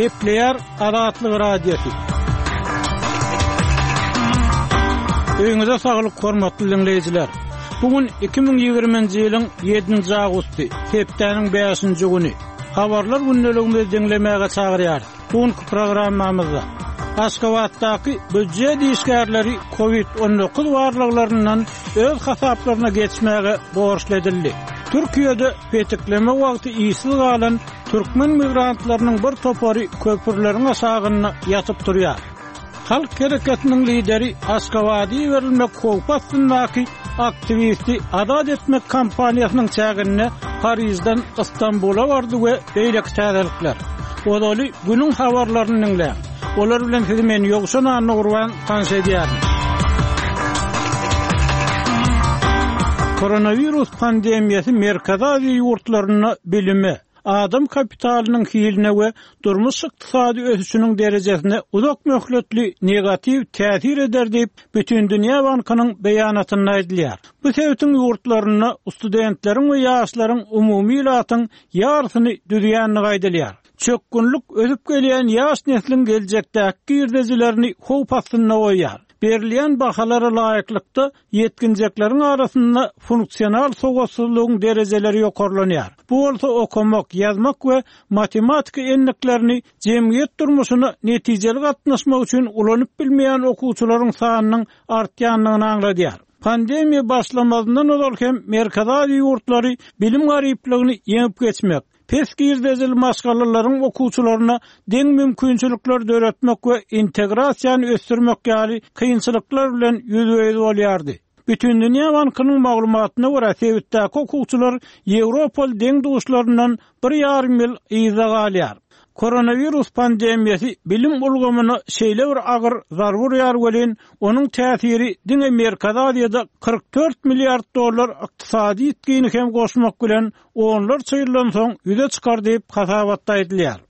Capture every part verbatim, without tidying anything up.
Gepleýär Azatlyk Radiosy. Öýüňize saglyk, hormatly diňleýjiler. Bu gün iki müň ýigriminji ýylyň ýedinji awgusty, hepdäniň bäşinji güni. Habarlar gündeligimizi diňlemäge çagyrýarys. Bu günki programmamyzda Aşgabatdaky býujet işgärleri kowid on dokuz barlaglaryndan öz hasaplaryna geçmäge borçly edildi. Türkiýede petikleme wagty işsiz galan türkmen migrantlarynyň bir topary köprüleriň aşagynda ýatyp durýar. Halk hereketiniň lideri Aşgabada iberilmek howpy astyndaky aktiwisti azat etmek kampaniýasynyň çäginde Parizden Istanbula bardy we beýleki täzelikler. Ozaly günüň habarlaryny diňläň. Olar bilen sizi men Ýowşan Annagurban tanyş edýärin. Koronawirus pandemiýasy Merkezi Aziýa ýurtlarynda bilime, adam kapitalynyň hiline we durmuş ykdysady ösüşiniň derejesine uzak möhletli negatiw täsir eder diýip, Bütindünýä Bankynyň beýanatynda aýdylýar. Bu sebitiň ýurtlarynda studentleriň we ýaşlaryň umumy ilatyň ýarysyny düzýändigi aýdylýar. Çökgünlik ösüp gelýän ýaş nesliň geljekdäki girdejilerini howp astynda goýýar. Berilýän bahalara laýyklykda ýetginjekleriň arasynda funksional sowatsyzlygyň derejeleri ýokarlanýar. Bu bolsa okamak, ýazmak we matematika endiklerini jemgyýet durmuşyna netijeli gatnaşmak üçin ulanyp bilmeýän okuwçylaryň sanynyň artýandygyny aňladýar. Pandemiýa başlamazyndan ozal hem Merkezi Aziýa ýurtlary bilim garyplygyny ýeňip geçmek, pes girdejili maşgalalaryň okuwçylaryna deň mümkinçilikler döretmek we integrasiýany ösdürmek ýaly kynçylyklar bilen ýüzbe-ýüz bolýardy. Bütindünýä Bankynyň maglumatyna görä, sebitdäki okuwçylar Ýewropaly deň duşlaryndan bir ýarym ýyl yzda galýar. Koronawirus pandemiýasy bilim ulgamyna şeýle bir agyr zarba urýar welin, onuň täsiri diňe Merkezi Aziýada kyrk dört milliard dollar ykdysady ýitgini hem goşmak bilen onlarça ýyldan soň ýüze çykar diýip hasabatda aýdylýar.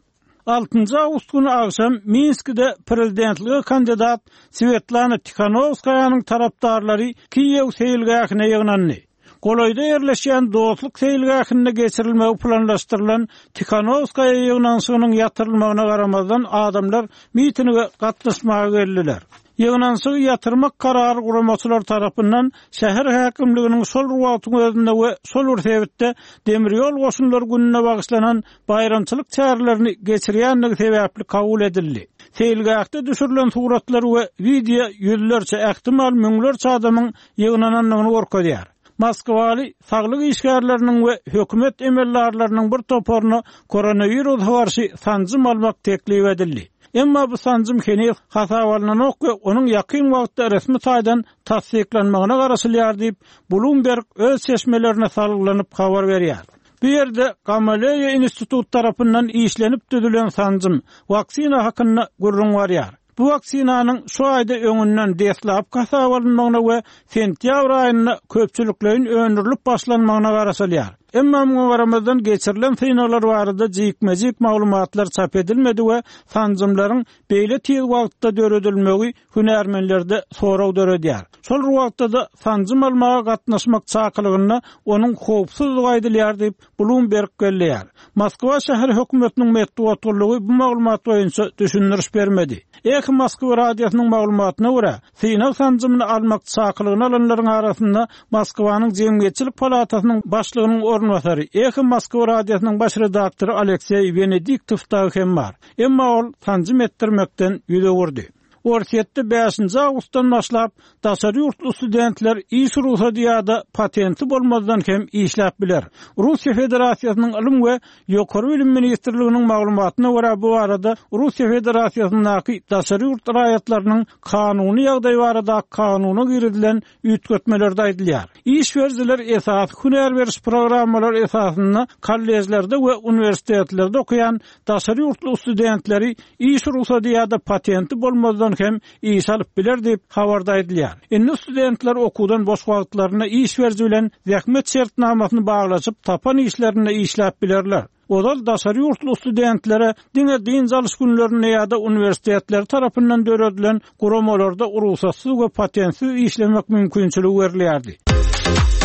Altynjy awgust güni agşam Minskide prezidentlige kandidat Svetlana Tikhanovskaýanyň tarapdarlary Kiýew seýilgähine ýygnandy. Golaýda ýerleşýän Dostluk seýilgähinde geçirilmegi planlaşdyrylan Tikhanovskaya ýygnanyşygynyň ýatyrylmagyna garamazdan adamlar mitinge gatnaşmaga geldiler. Ýygnanyşygy ýatyrmak karary guramaçylar tarapyndan şäher häkimliginiň şol wagtyň özünde we şol bir sebitde demir ýol goşunlary gününe bagyşlanan baýramçylyk çärelerini geçirýändigi sebäpli kabul edildi. Seýilgähde düşürilen suratlar we wideo ýüzlerçe, ähtimal müňlerçe adamyň ýygnanandygyny görkezýär. Moskwaly saglyk işgärleriniň we hökümet emeldarlarynyň bir toparyna koronawirusa garşy sanjym almak teklip edildi. Emma bu sanjym heniz hasap alynanok we onuň ýakyn wagtda resmi taýdan tassyklanmagyna garaşylýar diýip, Bloomberg öz çeşmelerine salgylanyp habar berýär. Bu ýerde Gamaleya institut tarapyndan işlenip düzülen sanjym waksina hakynda gürrüň barýar. Bu waksinanyň şu aýda öňünden deslap hasap alynmagyna we sentýabr aýynda köpçülikleýin öndürilip başlanmagyna garaşylýar. Emma muňa garamazdan geçirilen synaglar barada jikme-jik maglumatlar çap edilmedi we sanjymlaryň beýle tiz wagtda döredilmegi hünärmenlerde sorag döredýär. Şol wagtda da sanjym almaga gatnaşmak çakylygynda onuň howpsuzlygy aýdylýar diýip Bloomberg belleýär. Moskwa şäher hökümetiniň metbugat gullugy bu maglumat boýunça düşündiriş bermedi. Eho Moskwa radiosynyň maglumatyna görä, synag sanjymyny almak çakylygyny alanlaryň arasynda Moskwanyň Jemgyýetçilik palatasynyň başlygynyň orunbasary, Eho Moskwa radiosynyň baş redaktory Alekseý Venediktov dagy hem bar. Emma ol sanjym etdirmekden ýüz öwürdi. Orsýetde bäşinji awgustdan başlap daşary ýurtly studentler iş rugsady ýa-da patenti bolmazdan hem işläp biler. Russiýa Federasiýasynyň Ylym we Ýokary Bilim Ministrliginiň maglumatyna görä bu barada Russiýa Federasiýasyndaky daşary ýurt raýatlarynyň kanuny ýagdaýy barada kanuna girizilen üýtgetmelerde aýdylýar. Iş berijiler esasy hünär beriş programmalary esasynda kollejlerde we uniwersitetlerde okaýan daşary ýurtly studentleri iş rugsady ýa-da patenti bolmazdan hem iş alyp biler diýip habarda aýdylýar. Indi studentler okuwdan boş wagtlarynda iş beriji bilen zähmet şertnamasyny baglaşyp tapan işlerinde işläp bilerler. Ozal daşary ýurtly studentlere diňe dynç alyş günlerinde ýa-da uniwersitetler tarapyndan döredilen guramalarda rugsatsyz we patentsiz işlemek mümkinçiligi berilýärdi.